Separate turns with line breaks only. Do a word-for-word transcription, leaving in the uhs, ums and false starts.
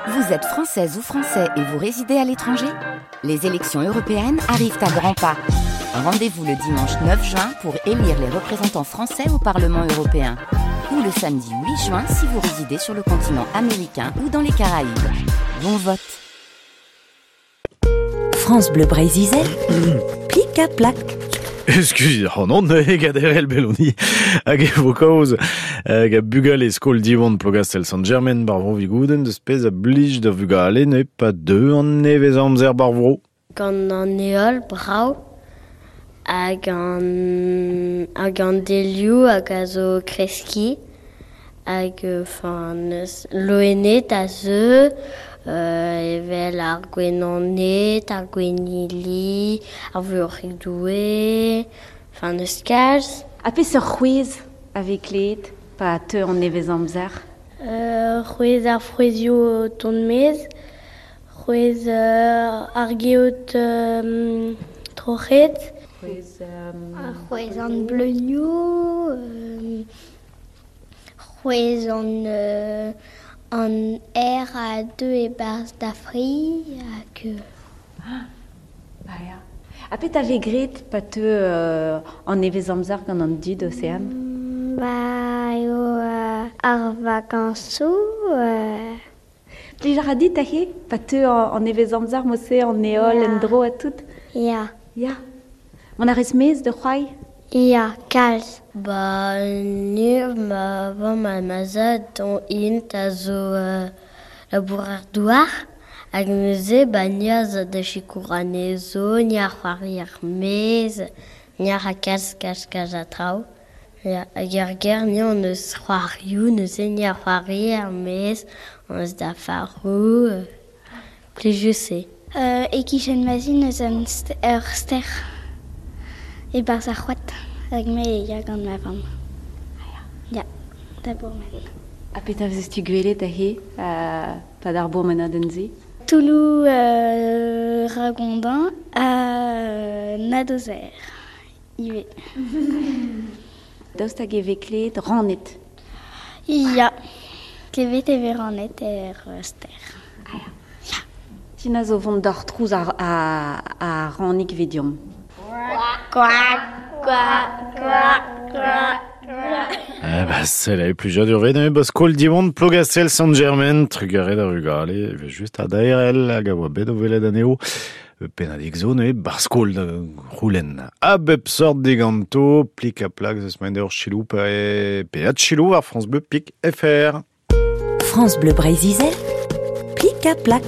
Vous êtes française ou français et vous résidez à l'étranger? Les élections européennes arrivent à grands pas. Rendez-vous le dimanche neuf juin pour élire les représentants français au Parlement européen. Ou le samedi huit juin si vous résidez sur le continent américain ou dans les Caraïbes. Bon vote.
France Bleu Breizh-Izel, plik ha plak.
Excusez, oh non, ne gaderel beloni hag e vo kaoz hag a bugale skol Diwan Plogastel Sant-Germain bar vro Vigouden deus pezh a blij da vugale ne pa deu an nevez amzer bar vro.
Gant an heol brav hag an, hag an delioù hag a zo kreski hag enfin neus loened a zeu euh, evel ar gwenaned, ar gwennili, ar vuoc'hig doue, enfin neus kalz.
Ha peseurt c'hwezh a vez klevet pa teu an nevez amzer?
Euh, c'hwezh ar frouezhioù o tont maez, c'hwezh euh, ar geot euh, troc'het,
C'hwezh euh,
Ar c'hwezh an bleunioù, euh, c'hwezh an, euh, an aer a deu e-barzh da fri hag...
Ah, ba ya. Ha petra vez graet pa teu euh, an nevez amzer gant an dud, Océane?
Ba eo euh, ar vakañsoù... Euh...
Plij a ra dit aze pa teu an nevez amzer mod-se an heol
Ya.
en-dro ha tout?
Ya.
Ya. Mont a rez maez da c'hoari?
Ya, kalz.
Ba, ni, ma vamm ha ma zad on int a zo euh, labourer douar. Hag neuze, ba, ni a zo da sikour anezho, ni a c'hoari ar maez, ni a ra kalz, kalz, kalz a traoù. Ya, hag ar ger, ni on eus c'hoarioù, neuze ni a c'hoari ar maez, on eus da faroù, euh, plijus eo.
Euh, e-kichen ma zi neus un st-, ur ster e-barzh ar c'hoad. Hag me e ya gant ma vamm. Ya, da bourmen.
Ha petra vez-tu gwelet aze, euh, pad ar bourmenadenn-se?
Touloù, euh, Ragondin ha Nadozer ivez.
Daoust hag e vez klevet raned?
Ya, klevet e vez raned er ster.
Ah ya. Ya. Tina zo vont d'ar trouz ar, ar, ar ranig vediom.
Quack, quack, quack, quack, quack.
Eh ba, sell eo plijadur vet, eo ba skol Diwan Plogastel Sant-Germain, trugarez da vugale, e vez just a daerel hag a oa bet o welet anezho. Pennadig zo neuze bar skol da c'houlenn. A bep sort diganto, plik ha plak zeus maen d'ur chilou pe, pe at chilou ar France Bleu pik F R.
France Bleu Breizh-Izel, plik ha plak.